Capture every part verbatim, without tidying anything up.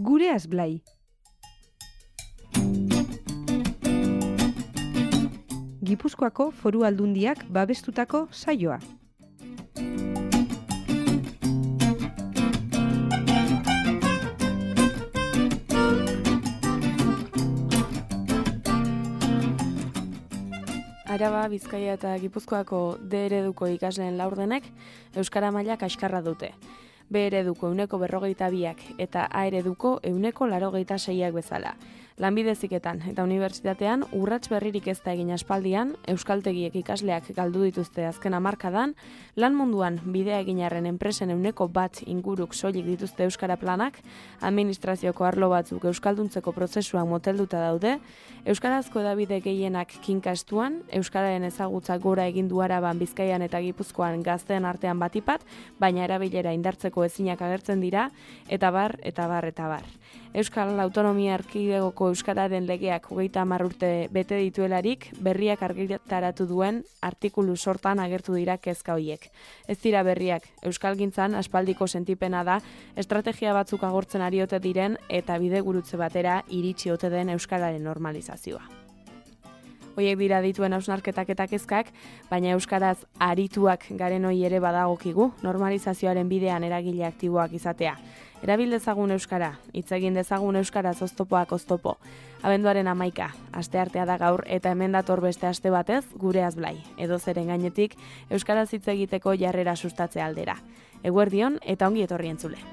Gureaz Blai. Gipuzkoako Foru Aldundiak babestutako saioa. Araba, Bizkaia eta Gipuzkoako D ereduko ikasleen laurdenek euskara maila kaskarra dute. B ereduko ehuneko berrogeita biak eta A ereduko ehuneko laurogeita seiak bezala. Lanbide heziketan eta unibertsitatean urrats berririk ez da egin aspaldian, euskaltegiek ikasleak galdu dituzte azken hamarkadan, lan munduan bidea egin arren enpresen ehuneko bat inguruk soilik dituzte euskara planak, administrazioko arlo batzuk euskalduntzeko prozesuan motelduta daude, euskarazko hedabide gehienak kinka estuan, euskararen ezagutza gora egin du Araban, Bizkaian eta Gipuzkoan gazteen artean batipat, baina erabilera indartzeko ezinak agertzen dira, eta bar, eta bar, eta bar. Euskal Autonomia Erkidegoko euskararen legeak hogeita hamar urte bete dituelarik, berriak argitaratu duen artikulu sortan agertu dira kezka hoiek. Ez dira berriak, euskalgintzan aspaldiko sentipena da, estrategia batzuk agortzen ari ote diren eta bidegurutze batera iritsi ote den euskararen normalizazioa. Hoiek dira dituen hausnarketak eta kezkak, baina euskaraz arituak garen hoi ere badagokigu, normalizazioaren bidean eragile aktiboak izatea. Erabil dezagun euskara, hitz egin dezagun euskaraz oztopoak oztopo. Abenduaren hamaika, asteartea da gaur eta hemen dator beste aste batez Gureaz Blai. Edozeren gainetik euskaraz hitz egiteko jarrera sustatze aldera. Eguerdion eta ongi etorri entzule.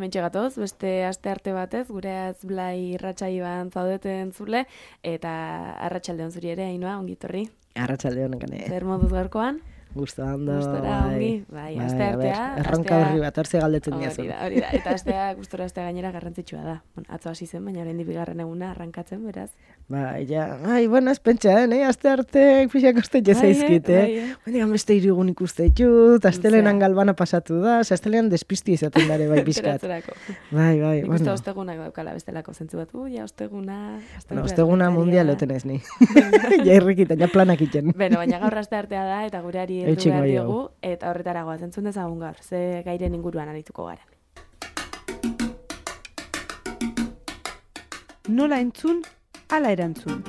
Mentxe gatoz, beste aste arte batez, Gureaz Blai irratsaioan zaudeten zule, eta arratsaldeon zuri ere, Ainhoa, ongi etorri. Arratsaldeon gane. Zer moduz gaurkoan? Gusto ondo. Gustora, ongi. Bai, aste artea. Erronka berri bat, hortze galdetzen diazu. Hori da, hori da. Eta astea, gustora astea gainera garrantzitsua da. Bueno, atzo hasi zen, baina oraindik bigarren eguna arrankatzen, beraz. Bai, ja, ai, bueno, ez pentsa, eh, aste arte pixak oste jezaizkit, eh. Baina beste irigun ikuste ditut, astelenan galbana pasatu da, astelenan despisti izaten dare bai pixkat. Bai, bai, bueno. Ikuste ostegunak daukala bestelako zentzu bat, ui, osteguna... Bueno, osteguna mundial loten ez ni. Ja irrikitan, ja planak iten. Beno, baina gaur aste artea da, eta gureari heldu behar diogu, eta horretaragoa zentzun dezagun gaur, ze gairen inguruan arituko garen. Nola entzun, ala erantzun.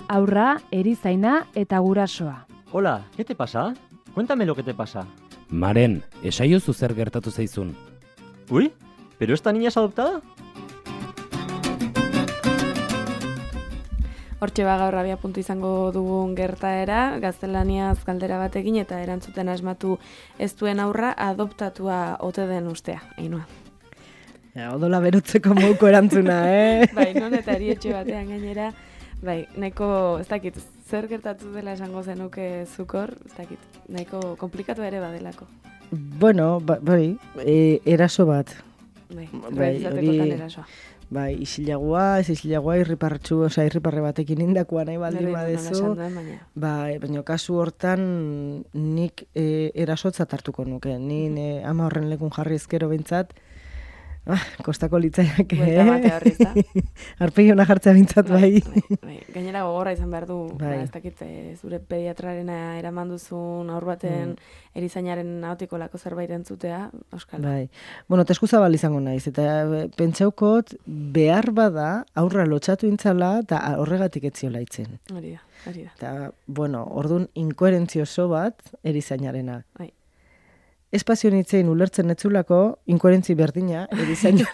Aurra, erizaina eta gurasoa. Hola, ¿qué te pasa? Cuéntame lo que te pasa. Maren, esaiozu zer gertatu zaizun. Uy, ¿pero esta niña es adoptada? Hortxe ba gaur abia puntu izango dugun gertaera, gaztelaniaz galdera batekin eta erantzuten asmatu ez duen aurra adoptatua ote den ustea, Ainhoa. Ja, odola berutzeko moduko erantzuna, eh? Bai, non eta erietxe batean gainera, bai, nahiko, ez dakit, zer gertatu dela esango zenuke zukor, ez dakit, nahiko komplikatu ere badelako. Bueno, bai, e, eraso bat. Bai, realizatekotan erasoa. Bai, isilagoa, ez isilagoa irripartxu, oza, irriparre batekin indakua nahi baldin badezu. Bai, baina kasu hortan nik e, erasotzat hartuko nuke. Ni e, ama horren lekun jarri ezkero bintzat, ah, kostako litzaiak, eh? Buelta batea horriz da. Arpegi hona jartzea bintzat, bai. Bai, bai. Gainera gogorra izan behar du, bai. Ba, ez dakit, e, zure pediatrarena eraman duzun aur baten mm. erizainaren ahotiko lako zerbait entzutea, Euskal. Bai. Bueno, teskuzabal izango naiz, eta pentsaukot behar bada aurra lotxatu intzala eta horregatik etziola itzen. Hori da, hori da. Eta, bueno, orduan inkoherentzio oso bat erizainarena. Bai. Espazio nitzein ulertzen etzulako, inkoherentzi berdina, erizaina.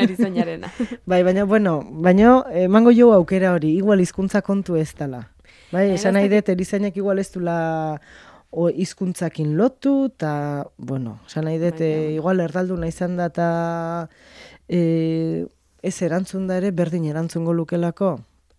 Erizainarena. Bai, baina, bueno, baina emango jo aukera hori, igual hizkuntza kontu ez dela. Bai, esan nahi dut, erizainak igual ez dula hizkuntzakin lotu, eta, bueno, esan nahi dut, e, igual erdalduna izan da, eta e, ez erantzun da ere, berdin erantzungo lukelako,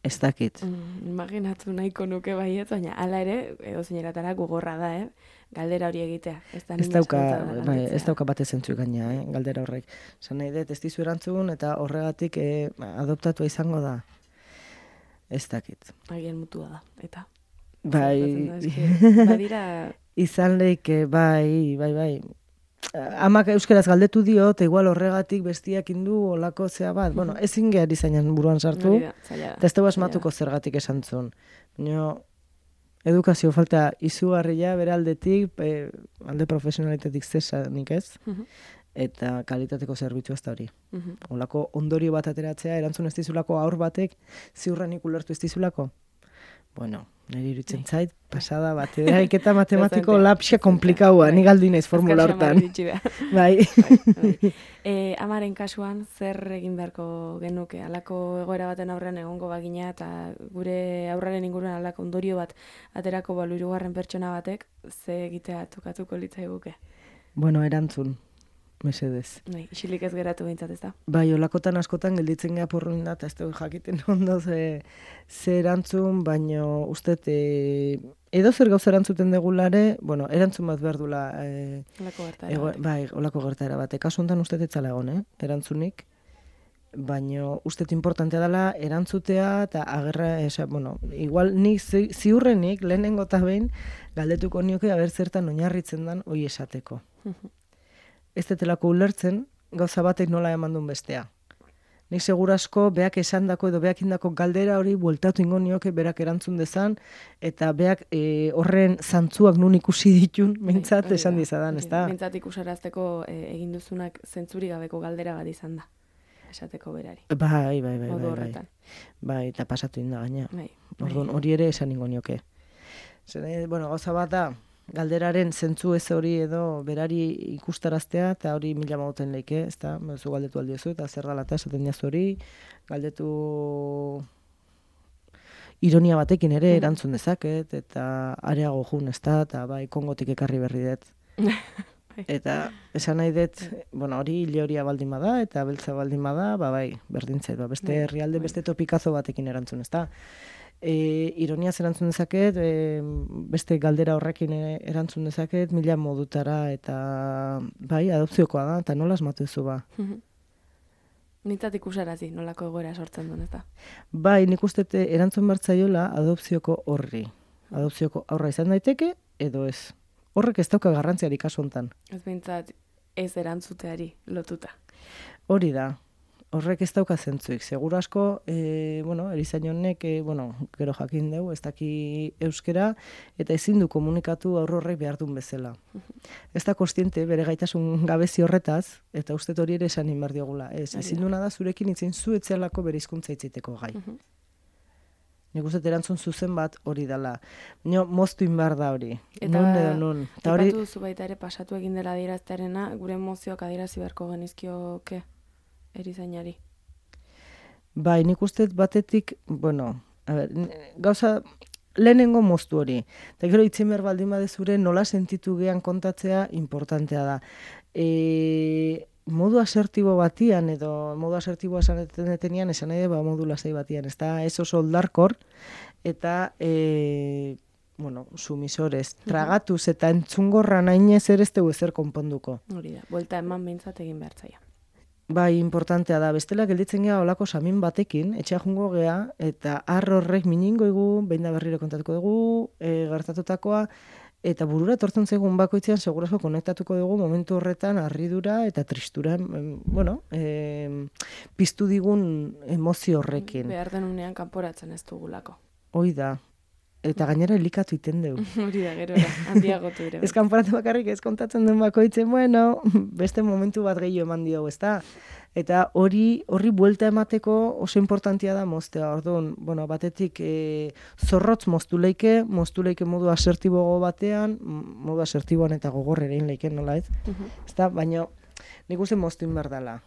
ez dakit. Mm, imaginatu nahiko nuke baiet, baina hala ere, edo zeineratara gogorra da, eh? Galdera hori egitea. Ez, ez dauka, bai, ez dauka bate zentzu gaina, eh, galdera horrek. Zan nahi dut, ez dizu erantzun eta horregatik eh, adoptatua izango da. Ez dakit. Agian mutua da, eta Bai, badira... izan leike, bai, bai, bai. Amak euskeraz galdetu dio, eta igual horregatik bestiak indu olako zea bat. Bueno, ezin gehar izainan buruan sartu, Hori da, zaila da. eta ez dugu asmatuko zergatik esan zuen. Baina, edukazio falta izugarria bere aldetik, e, alde profesionalitetik zesanik ez, Mhm. eta kalitateko zerbitzu ez da hori. Mhm. Olako ondorio bat ateratzea, erantzun ez dizulako aur batek, ziurrenik ulertu ez dizulako. Bueno, niri iruditzen zait, pasada bat, eraiketa matematiko Dezentea, lapxe dezentea, komplikaua, bai. ni galdu naiz formula Azkar xamar hortan. iritsi behar. Bai. Bai, bai. E, amaren kasuan, zer egin beharko genuke? Halako egoera baten aurrean egongo bagina eta gure aurraren inguruan halako ondorio bat aterako balu hirugarren pertsona batek, ze egitea tokatuko litzaiguke? Bueno, erantzun, mesedez. Bai, isilik ez geratu behintzat, ez da? Bai, olakotan askotan gelditzen geha porruin da, eta ez dugu jakiten ondo ze, ze erantzun, baino uste e, edo zer gauza erantzuten degulare, bueno, erantzun bat behar dula, e, Halako gertaera ego, batek. bai, olako gertaera bat. Kasu honetan uste etzala egon, eh? erantzunik, baino uste importantea dela erantzutea, eta agerra, esa, bueno, igual ni zi, ziurrenik, lehenengo eta behin, galdetuko nioke, aber zertan oinarritzen dan, hoi esateko. Ez detelako ulertzen, gauza batek nola eman duen bestea. Nik segurasko beak esandako edo beak indako galdera hori bueltatu ingo nioke berak erantzun dezan, eta beak e, horren zantzuak nun ikusi ditun, mintzat Hori esan da, dizadan, hori ez da. da? Mintzat ikusarazteko e, egin duzunak zentzuri gabeko galdera bat izan da. Esateko berari. Bai, bai, bai, Modu bai, bai. horretan. Bai, eta pasatu inda gaina. Bai. Orduan, hori ere esan ingo nioke. Zer, eh, bueno, gauza bat da, galderaren zentzu ez hori edo berari ikustaraztea, eta hori mila mauten leike, ez da, zu galdetu aldiozu, eta zer dala eta esaten diazu hori, galdetu ironia batekin ere erantzun dezaket, eta areago jun, ez da, eta bai, Kongotik ekarri berri dut. Eta esan nahi dut, bueno, hori hile horia baldin bada, eta beltza baldin bada, ba bai, berdintzait, ba, beste Bai, herrialde, bai. beste topikazo batekin erantzun, ez da. E, ironiaz erantzun dezaket, e, beste galdera horrekin e, erantzun dezaket, mila modutara, eta bai, adopziokoa da, eta nola asmatu duzu ba. Nintzat ikusarazi, nolako egoera sortzen duen, ez da? Bai, nik uste dut erantzun bertzaiola adopzioko horri. Adopzioko aurra izan daiteke, edo ez. Horrek ez dauka garrantziarik kasu hontan. Ez behintzat ez erantzuteari lotuta. Hori da. Horrek ez dauka zentzuik. Seguru asko, e, bueno, erizain honek, e, bueno, gero jakin dugu, ez daki euskera, eta ezin du komunikatu aurre horrek behar duen bezala. Ez da kostiente bere gaitasun gabezi horretaz, eta uste hori ere esan inbar diogula. Ez, Hori ezin da. duna da zurekin itzen zu etzelako bere hizkuntza itziteko gai. Nik uste dut erantzun zuzen bat hori dela. Nio, moztu inbar da hori. Eta Nun edo nun. Eta hori, aipatu duzu baita ere pasatu egin dela adieraztearena, gure emozioak adierazi beharko genizkioke erizainari. bai, nik uste dut batetik, bueno, a ber, n- gauza, lehenengo moztu hori. Eta gero itzen behar baldin badezure nola sentitu gehan kontatzea importantea da. E, modu asertibo batian, edo modu asertiboa esan detenean, esan nahi da, ba, modu lasai batian, ez da, ez oso oldarkor, eta, e, bueno, sumisorez, tragatuz eta entzungorra nainez ere ez dugu ezer konponduko. Hori da, buelta eman behintzat egin behar zaia. Bai, importantea da. Bestela gelditzen gea olako samin batekin, etxea jungo gea, eta har horrek miningo igu, behin da berriro kontatuko dugu, e, gertatutakoa, eta burura etortzen zegoen bakoitzean segurasko konektatuko dugu momentu horretan harridura eta tristura, em, bueno, em, piztu digun emozio horrekin. Behar den unean kanporatzen ez dugulako. Hoi da. Eta gainera elikatu iten dugu. Hori da, gerora, handiagotu ere. Ez kanporatu bakarrik ez kontatzen den bakoitzen, bueno, beste momentu bat gehiago eman diogu, ezta? Eta hori horri buelta emateko oso importantia da moztea. Orduan, bueno, batetik e, zorrotz moztu leike, moztu leike modu asertibogo batean, m- modu asertiboan eta gogor ere leiken nola ez? Ezta, baina nik uste moztu inbar dela.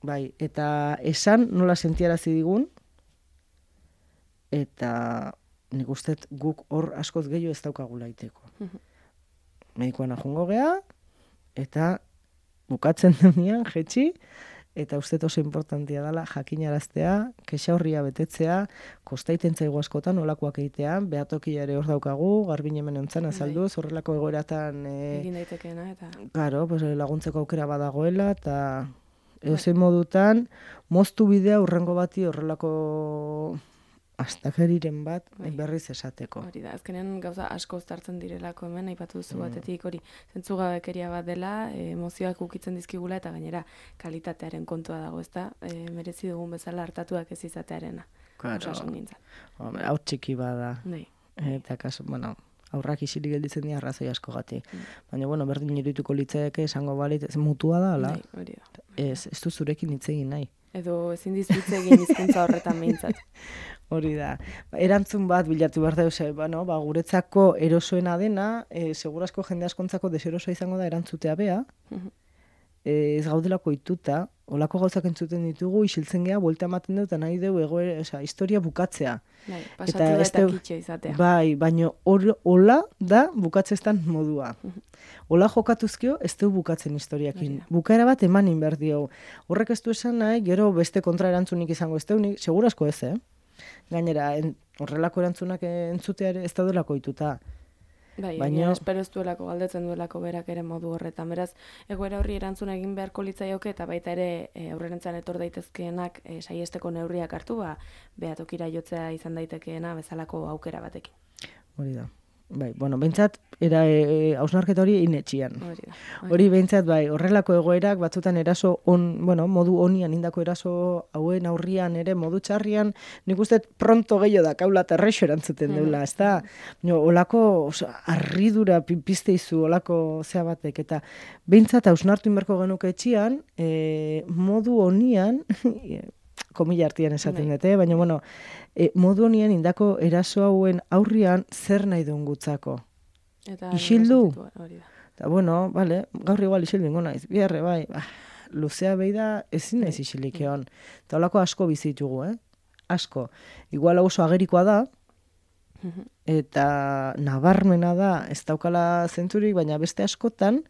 Bai, eta esan nola sentiarazi digun, eta nik uste guk hor askoz gehiago ez daukagula iteko. Medikoan ajungo gea, eta bukatzen denean, jetxi, eta uste oso importantia dela jakinaraztea, kexa horria betetzea, kostaiten zaigu askotan olakoak egitea, behatokia ere hor daukagu, garbin hemen ontzan azalduz, horrelako egoeratan, e, Egin daitekeena, eta... claro, pues, laguntzeko aukera badagoela, eta edozein modutan, moztu bidea urrengo bati horrelako astakeriren bat Bai. berriz esateko. Hori da, azkenean gauza asko uztartzen direlako hemen, aipatu duzu Mm. batetik hori zentzugabekeria bat dela, e, emozioak ukitzen dizkigula eta gainera kalitatearen kontua dago, ezta? E, merezi dugun bezala hartatuak ez izatearena. Claro. Osasun gintzan. Hombre, hau txiki bada. Nei. Eta kaso, bueno, aurrak isilik gelditzen dira arrazoi askogatik. Mm. Baina, bueno, berdin irudituko litzaeke esango balit, ez mutua da, ala? Nei, hori da. Ez, ez du zurekin hitz egin nahi. Edo ezin dizutze egin hizkuntza horretan behintzat. Hori da. Erantzun bat bilatu behar da, ze, bueno, ba, guretzako erosoena dena, e, segurazko jende askontzako deserosoa izango da erantzutea bea, e, ez gaudelako ituta, olako gauzak entzuten ditugu, isiltzen geha, buelta ematen dut, eta nahi dugu egoera, osea, historia bukatzea. Bai, pasatu Eta da ez eta deu- kitxo izatea. Bai, baina hor- hola da bukatzeztan modua. Hola jokatuzkio ez du bukatzen historiakin. Hori da. Bukaera bat emanin behar dio. Horrek ez du esan nahi, gero beste kontraerantzunik izango ez deunik, segurasko ez, eh? Gainera, en, horrelako erantzunak entzutea ere ez daudelako ituta. Bai, Baina- baina espero ez duelako, galdetzen duelako berak ere modu horretan. Beraz, egoera horri erantzuna egin beharko litzaioke eta baita ere e, aurrerentzan etor daitezkeenak e, saiesteko neurriak hartu, ba, behatokira jotzea izan daitekeena bezalako aukera batekin. Hori da. Bai, bueno, behintzat, era e, hausnarketa hori inetxian. Hori da. Hori behintzat, bai, horrelako egoerak batzutan eraso on, bueno, modu onian indako eraso hauen aurrian ere modu txarrian, nik uste pronto gehiago da kaula terrexo erantzuten deula, ez da, olako osa, arridura pi- pizte izu, olako zea batek, eta behintzat hausnartu inberko genuke etxian, e, modu onian, komila artian esaten Bai. dute, baina, bueno, e, modu honien indako eraso hauen aurrian zer nahi duen gutzako. Eta Isildu? sentitua, hori da. Eta, bueno, vale, gaur igual isildu ingo naiz, biharre, bai, bah, luzea behi da, ezin naiz isilik egon. Eta holako asko bizitugu, eh? Asko. Igual hau oso agerikoa da, eta nabarmena da, ez daukala zentzurik, baina beste askotan,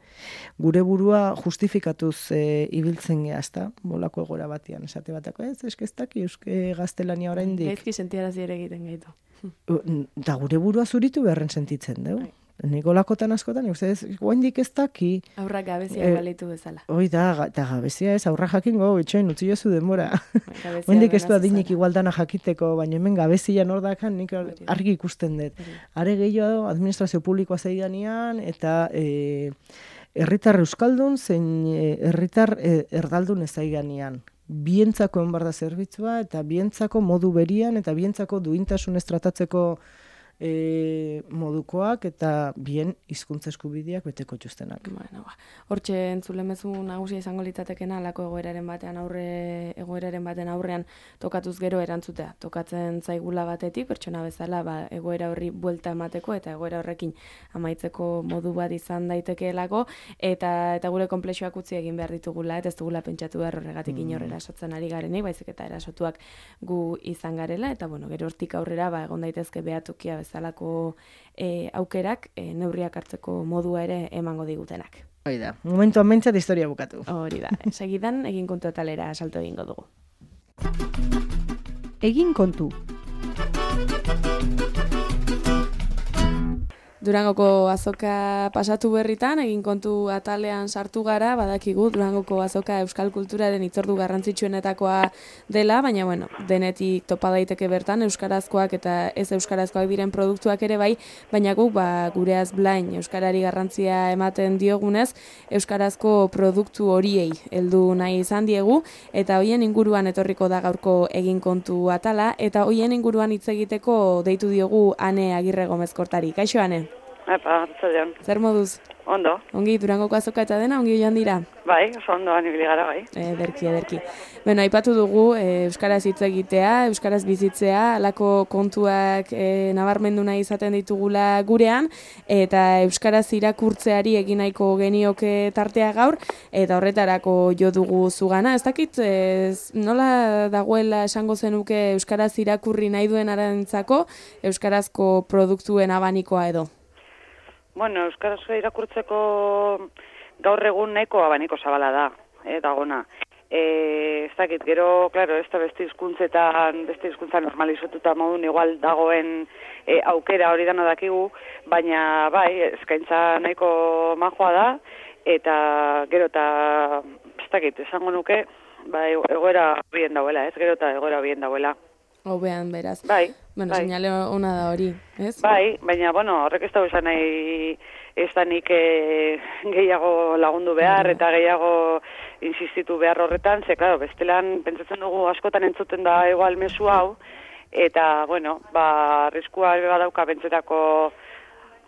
gure burua justifikatuz e, ibiltzen geha, ezta? Bolako egoera batian, esate batako, ez, eskeztak, euske gaztelania oraindik. Gaizki sentiarazi ere egiten gaitu. Eta gure burua zuritu beharren sentitzen, dugu. Bai. Nik olakotan askotan, uste ez, guaindik ez daki, Aurrak gabezia Eh, balitu bezala. hoi da, ga- eta gabezia ez, aurra jakingo, itxoin, utzi jozu denbora. Bai, gabezia Hoendik ez du benaz adinik bezala. igualdana jakiteko, baina hemen gabezian hor dakan nik Hori da. argi ikusten dut. Hori da. Are gehiago administrazio publikoa zeidanean, eta e, herritar euskaldun, zein e, herritar e, erdaldun ez zaiganean. Bientzako enbar da zerbitzua, eta bientzako modu berian, eta bientzako duintasunez tratatzeko e, modukoak, eta bien hizkuntza eskubideak beteko txustenak. Bueno, ba. Hortxe entzulemezu nagusia izango litzatekena alako egoeraren batean aurre egoeraren baten aurrean tokatuz gero erantzutea. Tokatzen zaigula batetik pertsona bezala ba, egoera horri buelta emateko eta egoera horrekin amaitzeko modu bat izan daitekeelako eta eta gure konplexuak utzi egin behar ditugula eta ez dugula pentsatu behar horregatik inor erasotzen ari garenik, baizik eta erasotuak gu izan garela eta bueno, gero hortik aurrera ba egon daitezke behatokia bezalako e, aukerak e, neurriak hartzeko modua ere emango digutenak. Hoi da, momentuan mentzat historia bukatu. Hori da, segidan egin kontu atalera salto egingo dugu. Egin kontu. Durangoko azoka pasatu berritan, egin kontu atalean sartu gara, badakigu Durangoko azoka euskal kulturaren hitzordu garrantzitsuenetakoa dela, baina bueno, denetik topa daiteke bertan euskarazkoak eta ez euskarazkoak diren produktuak ere bai, baina guk ba, gureaz blain euskarari garrantzia ematen diogunez, euskarazko produktu horiei heldu nahi izan diegu, eta hoien inguruan etorriko da gaurko egin kontu atala, eta hoien inguruan hitz egiteko deitu diogu Ane Agirre Gomez Kortari. Kaixo, Ane? Epa, arratsaldeon. Zer moduz? Ondo, Ongi, Durangoko azoka eta dena, ongi joan dira? bai, oso ondoan ibili gara, bai. Ederki, ederki. Bueno, aipatu dugu, e, euskaraz hitz egitea, euskaraz bizitzea, alako kontuak e, nabarmendu nahi izaten ditugula gurean, eta euskaraz irakurtzeari egin nahiko genioke tartea gaur, eta horretarako jo dugu zugana. Ez dakit, ez, nola dagoela esango zenuke euskaraz irakurri nahi duen arantzako, euskarazko produktuen abanikoa edo? Bueno, euskarazko irakurtzeko gaur egun nahiko abaniko zabala da, eh, dagona. E, ez dakit, gero, claro, ez da beste hizkuntzetan, beste hizkuntza normalizatuta modun igual dagoen e, aukera hori dano dakigu, baina bai, eskaintza nahiko majoa da, eta gero eta, ez dakit, esango nuke, bai, egoera bien dauela, ez gero eta egoera bien dauela. Hobean beraz. Bai, Bueno, bai. seinale ona da hori, ez? Bai, baina, bueno, horrek ez da esan nahi ez da nik e, gehiago lagundu behar Bai. eta gehiago insistitu behar horretan, ze, klaro, bestelan pentsatzen dugu askotan entzuten da igual mezu hau, eta, bueno, ba, arriskua badauka pentsetako,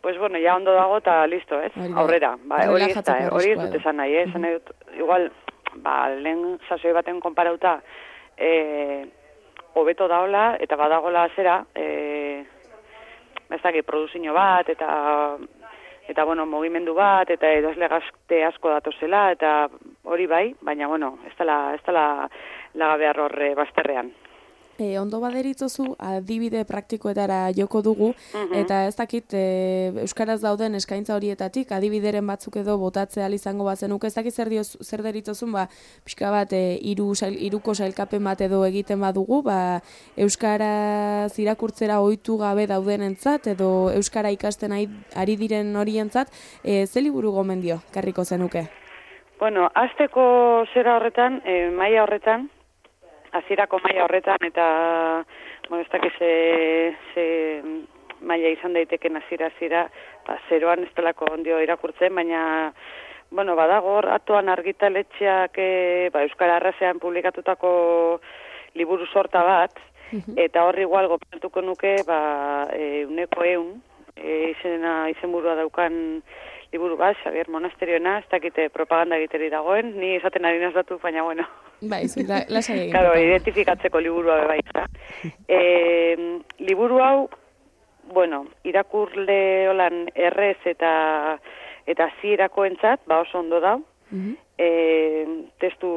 pues, bueno, ja ondo dago eta listo, ez? Hori da. Aurrera, ba, hori ez da, Relajatzeko hori ez arriskua dut da. esan nahi, eh? Esan nahi dut, igual, ba, lehen sasoi baten konparauta, eh, hobeto daola, eta badagola zera, eh, ez dakit, produzio bat, eta, eta bueno, mugimendu bat, eta idazle gazte asko datozela, eta hori bai, baina, bueno, ez dela, ez dela laga behar horre bazterrean. E, ondo baderitzozu, adibide praktikoetara joko dugu, Mhm. eta ez dakit e, Euskaraz dauden eskaintza horietatik, adibideren batzuk edo botatzea izango bazenuk, ez dakit zer, dioz, zer deritzozun, ba, pixka bat, e, iru, sail, iruko sailkapen bat edo egiten badugu, ba, Euskaraz irakurtzera ohitu gabe daudenentzat, edo Euskara ikasten ari, ari diren horientzat, e, ze liburu gomendio, karriko zenuke? Bueno, azteko zera horretan, e, maila horretan, hasierako maila horretan, eta, bueno, ez dakiz ze, ze maila izan daiteken hasiera hasiera, ba, zeroan ez delako ondio irakurtzen, baina, bueno, badago, hor, atoan argitaletxeak, e, ba, Euskara Arrasean publikatutako liburu sorta bat, eta hor igual gomendatuko nuke, ba, e, uneko eun, e, izena, izenburua daukan liburu bat, Xabier Monasterioena, ez dakite propaganda egiteri dagoen, ni esaten ari nazatu, baina, bueno, Bai, zu, la, lasai egin. claro, identifikatzeko liburua be bai, eta. E, liburu hau, bueno, irakurle holan errez eta eta zirakoentzat, ba oso ondo dau, Mhm. e, testu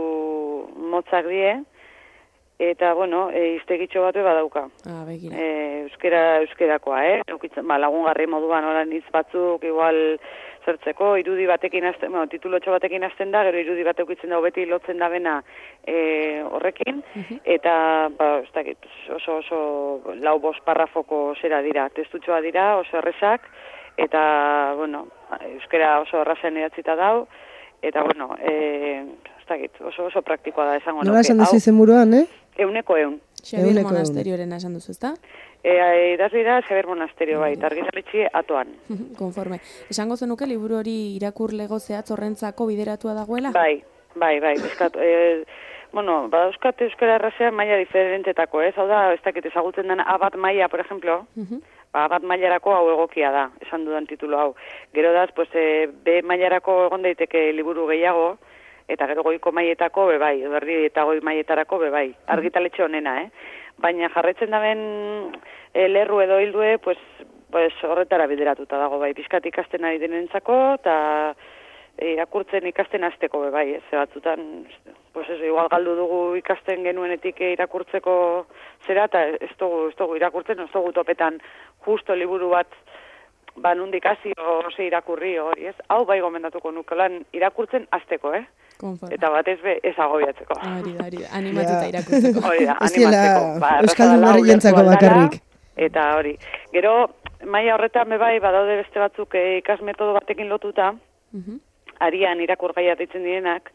motzak die, eta, bueno, e, iztegitxo bat be badauka. Ah, begira. E, euskera, euskerakoa, eh? Eukitzen, ba, lagungarri moduan holan hitz batzuk, igual zertzeko, irudi batekin hasten, bueno, titulotxo batekin hasten da, gero irudi bat eukitzen da, beti lotzen da bena e, horrekin, eta, ba, ez dakit, oso, oso lau bost parrafoko zera dira, testutxoa dira, oso errezak, eta, bueno, euskera oso errazen idatzita dau, eta, bueno, e, ez dakit, oso, oso praktikoa da, esango Nola esan duzu izenburuan, eh? Euneko eun. Xabier Ehuneko ehun. Monasterioren esan duzu, ezta? E, idazle da Xabier Monasterio, bai, eta argitaletxe atoan. Konforme. Esango zenuke liburu hori irakurlego zehatz horrentzako bideratua dagoela? Bai, bai, bai, bizkat, e, bueno, badauzkat euskara errazean maila diferentetako, ez? Hau da, ez dakit ezagutzen den A bat maila, por ejemplo, Mhm. ba, A bat mailarako hau egokia da, esan dudan titulu hau. Gero da, pues, e, B mailarako egon daiteke liburu gehiago, eta gero goiko mailetako be bai, edo erdi eta goi mailetarako be bai, argitaletxe honena, eh? Baina jarretzen daben e, lerru edo hildue, pues, pues horretara bideratuta dago bai, pizkat ikasten ari denentzako, eta e, irakurtzen ikasten hasteko be bai, ez? Ze batzutan, pues eso, igual galdu dugu ikasten genuenetik irakurtzeko zera, eta ez dugu, ez dugu irakurtzen, ez dugu topetan justo liburu bat ba nundik hasi ose irakurri hori, ez? Hau bai gomendatuko nuke lan irakurtzen hasteko, eh? Konforme. Eta batez be ez agobiatzeko. Hori da, hori da, animatuta Ja. irakurtzeko. Hori da, Ez diela animatzeko. Ba, erraza euskaldun dela, herrientzako ulertu aldara, bakarrik. Eta hori. Gero, maila horretan be bai, badaude beste batzuk eh, ikasmetodo batekin lotuta, Mhm. arian irakurgaia deitzen direnak,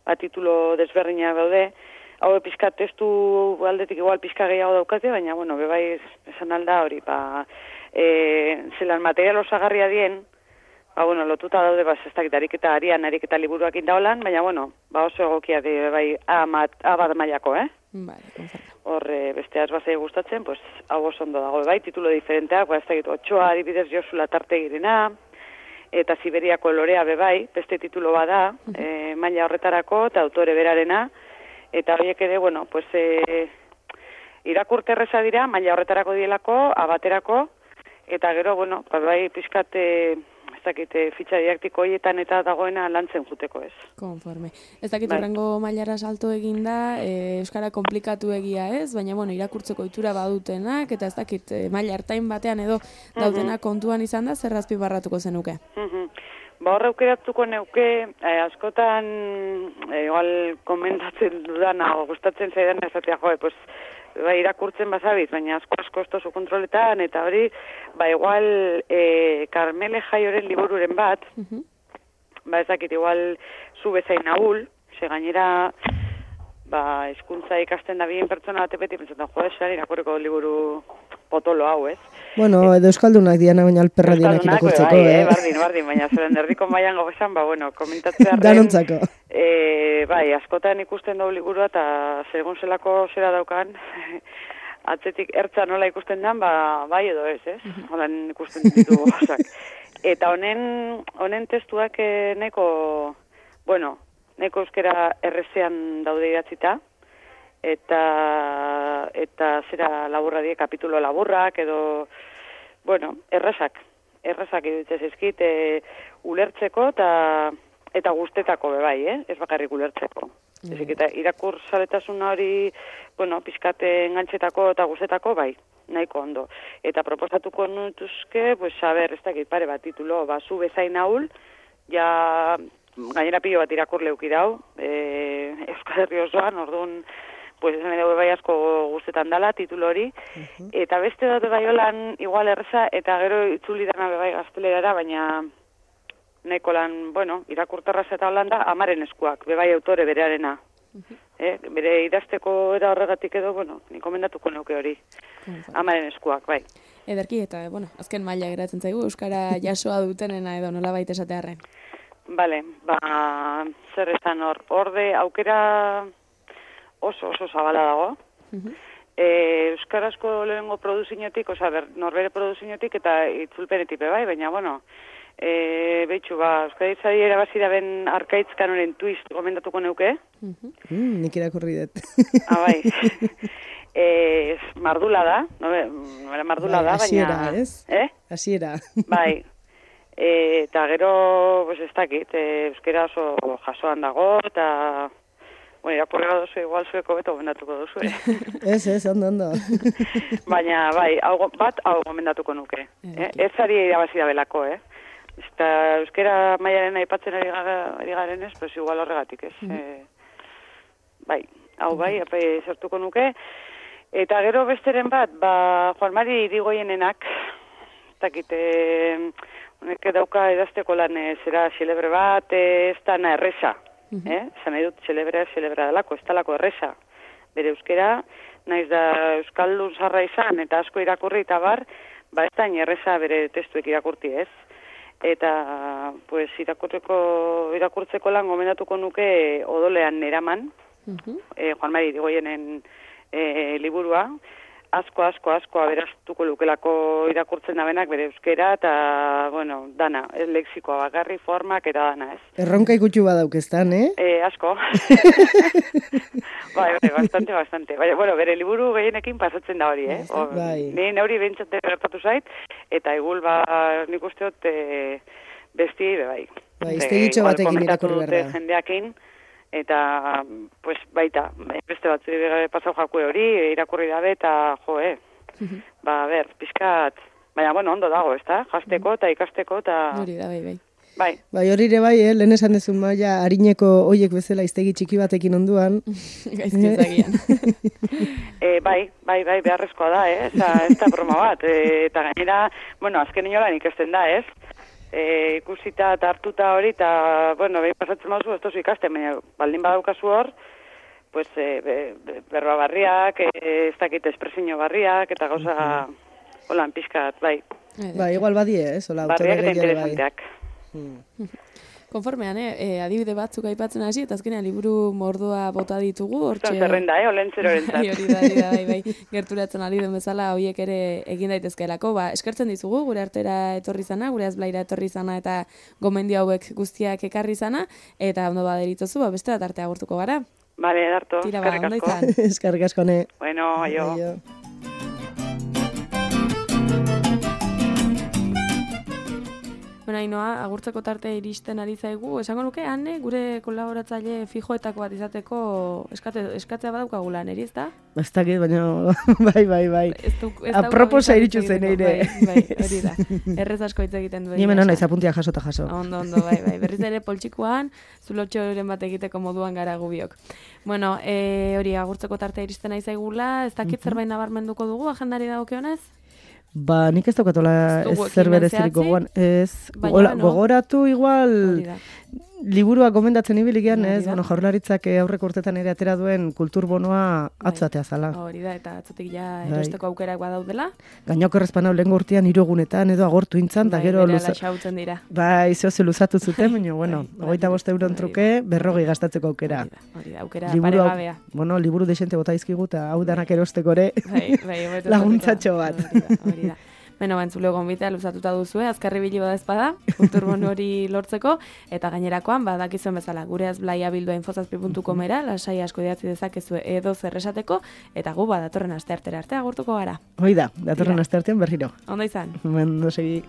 ba, titulo desberdinak daude, hau pizka testu aldetik igual pizka gehiago daukate, baina, bueno, be bai esan alda hori, ba, e, zelan material osagarria dien, ba, bueno, lotuta daude, ba, ez dakit, ariketa arian, ariketa liburuak indaolan, baina, bueno, ba, oso egokia di, bai, A, mat, A bat mailako, eh? Vale, konforme. Hor, e, beste azbazai gustatzen, pues, hau oso ondo dago, bai, titulo diferenteak, ba, ez dakit, Otxoa, adibidez, Josula tarte girena, eta Siberiako lorea be bai, beste titulo bada, e, maila horretarako, eta autore berarena, eta horiek ere, bueno, pues, e, irakurte erreza dira, maila horretarako dielako, abaterako, eta gero, bueno, ba, bai, pixkat, e, ez dakit, e, fitxa didaktiko horietan eta dagoena lantzen juteko ez. Konforme. Ez dakit Bai. horrengo mailara salto eginda, e, euskara komplikatu egia ez, baina bueno, irakurtzeko ohitura badutenak, eta ez dakit e, maila hartain batean edo daudenak kontuan izan da, zer azpimarratuko zenuke? Mhm. Ba, horre aukeratuko neuke, eh, askotan, eh, igual komentatzen dudana, o gustatzen zaidan ezatea, joe, pues, ba, irakurtzen bazabiz, baina asko asko estozu kontroletan, eta hori, ba, igual, eh, Karmele Jaioren libururen bat, Mhm. ba, ez dakit, igual, zu bezain nahul, ze gainera, ba, hizkuntza ikasten da bien pertsona bate beti pentsatzen, jo, esan irakurriko liburu potolo hau, ez? Bueno, edo euskaldunak diana baina alperra dienak irakurtzeko, bai, eh? eh? Bardin, bardin, baina zeren erdiko maian gogezan, ba, bueno, komentatzearen... Danontzako. E, bai, askotan ikusten dugu liburua, eta segun zelako zera daukan, atzetik ertza nola ikusten den, ba, bai edo ez, ez? Holan ikusten ditugu gozak. Eta honen, honen testuak eh, neko, bueno, neko euskera errezean daude idatzita, eta eta zera laburra die, kapitulo laburrak, edo, bueno, errazak, errazak iruditzen zaizkit, e, ulertzeko eta eta guztetako bebai, eh? Ez bakarrik ulertzeko. Mm. Ezik, eta irakur zaletasuna hori, bueno, pizkate engantzetako eta guztetako, bai, nahiko ondo. Eta proposatuko nutuzke, pues, a ber, ez dakit pare bat titulo, ba, zu bezain ahul, ja, gainera pilo bat irakur leuki dau, e, Euskal Herri osoan, orduan, pues esan edo bai asko guztetan dala, titulo hori, uh-huh. Eta beste dut bai holan igual erreza, eta gero itzuli dana bai gaztelerara, baina neko lan, bueno, irakurtarraz eta holanda, amaren eskuak, bebai autore berearena. Uh-huh. Eh, bere idazteko era horregatik edo, bueno, ni komendatuko neuke hori, amaren eskuak, bai. Ederki, eta, bueno, azken maila geratzen zaigu, Euskara jasoa dutenena edo nola baita esatearren. Bale, ba, zer esan hor, orde aukera... oso, oso zabala dago. Uh-huh. E, Euskarazko lehengo produzinotik, oza, ber, norbere produzinotik eta itzulpenetik bai, baina, bueno, e, behitxu, ba, Euskaditzari erabazi da ben arkaitz kanoren twist gomendatuko neuke. Uh-huh. Mm, nik irakurri dut. Ah, bai. e, mardula da, no, mardula bai, da, asiera, baina... Ez? Eh? Asiera. Bai. E, eta gero, pues ez dakit, e, euskera oso jasoan dago, eta... Bueno, irakurri duzu, igual zueko beto gomendatuko duzu, eh? Ez, ez, ondo, ondo. Baina, bai, hau, bat hau gomendatuko nuke. Eh? Ez ari irabazi da belako, eh? Eta euskera mailaren aipatzen ari, ari garen ez, pues igual horregatik, ez? Mm. Eh, bai, hau bai, apai sortuko nuke. Eta gero besteren bat, ba, Juan Mari Irigoienenak, takite, honek dauka edazteko lan, zera xelebre bat, ez da na erresa. Eh? Zan nahi dut, celebrea, celebrea dalako, ez dalako erresa. Bere euskera, naiz da euskaldun zarra izan, eta asko irakurri eta bar, ba ez da erresa bere testuek irakurti ez. Eta, pues, irakurtzeko, irakurtzeko lan gomendatuko nuke odolean neraman, uh-huh. eh, Juan Mari Irigoienen eh, liburua, asko, asko, asko aberaztuko lukelako irakurtzen da benak bere euskera, eta, bueno, dana, ez lexikoa bakarri, formak eta dana, ez. Erronka ikutxu badauk eztan, eh? Eh, asko. bai, bai, bastante, bastante. Bai, bueno, bere liburu gehienekin pasatzen da hori, eh? O, bai. Ni neuri behintzate gertatu zait, eta egul, ba, nik usteot, e, besti, be, bai. Bai, iztegitxo batekin irakurri behar da. Jendeakin, eta, pues, baita, beste batzu pasau jakue hori, irakurri dabe, eta, jo, eh, ba, ber, pixkat, baina, bueno, ondo dago, ez da, jazteko eta ikasteko, eta... Hori da, bai, bai. Bai. Bai, hori ere bai, eh, lehen esan dezun maia, harineko oiek bezala iztegi txiki batekin onduan. Gaizki ezagian. e, bai, bai, bai, beharrezkoa da, eh, ez da, ez da broma bat, e, eta gainera, bueno, azken inolan ikesten da, ez? E, ikusita eta hartuta hori, eta, bueno, behin pasatzen mauzu, ez tozu ikasten, baina baldin badaukazu hor, pues, e, be, be, berroa barriak, e, ez dakit espresio barriak, eta gauza, holan, pixkat, bai. Ba, igual badie, ez? Hola, barriak eta interesanteak. Hmm. Konformean, eh, e, adibide batzuk aipatzen hasi, eta azkenean liburu mordoa bota ditugu, hortxe... Zerrenda, eh, olentzero erentzat. Bai, hori da, hori da, bai, bai, gerturatzen ari den bezala, horiek ere egin daitezkeelako, ba, eskertzen dizugu, gure artera etorri zana, gure azblaira etorri zana, eta gomendio hauek guztiak ekarri zana, eta ondo baderitozu, ba, beste bat artea agurtuko gara. Bale, darto, Tira, ba, ondo izan. Eskarrik asko, ne. Bueno, aio. Aio. Bueno, Ainoa, agurtzeko tarte iristen ari zaigu, esango nuke, Anne, gure kolaboratzaile fijoetako bat izateko eskate, eskatzea badaukagula, neri, ez da? Bastakit, baina, bai, bai, bai. Aproposa iritsu zen eire. Bai, bai, hori da. Errez asko hitz egiten duen. Niemen hona, izapuntia jaso eta jaso. Ondo, ondo, bai, bai. Berriz ere poltsikoan, zulotxoren bat egiteko moduan gara gubiok. Bueno, e, hori, agurtzeko tarte iristen ari zaigula, ez dakit uh-huh. zerbait nabarmenduko dugu, agendari dagokionez? Ba, nik ez daukatola zer berezirik gogoan. Ez, gola, no? Gogoratu igual liburua gomendatzen ibilik Hori ez, da. bueno, jaurlaritzak aurreko urtetan ere atera duen kulturbonoa atzatea zala. Hori da, eta atzotik ja Bai. erosteko aukerak badaudela. Gainoko errezpanau lehen urtean hiru egunetan edo agortu intzan, eta Bai, gero berehala luza... xautzen dira. Bai, zeo ze luzatu zuten, baina, bueno, Bai, hogeita bost euron hori da. truke, berrogei gastatzeko aukera. Hori da, hori da, aukera Liburu hau- paregabea. Bueno, liburu desente bota izkigu, eta hau danak erosteko ere, Bai, bai, hobeto laguntzatxo esateko. bat. Hori da, hori da. Beno, bantzule gonbitea luzatuta duzue, azkarri bili bada ezpada, kulturbonu hori lortzeko, eta gainerakoan, badakizuen bezala, gure azblaia bildua infozazpi puntu comera, lasai asko idatzi dezakezue edo zer esateko, eta gu badatorren asteartera arte agurtuko gara. Hoi da, datorren Tira. asteartean berriro. Ondo izan? Ondo segi.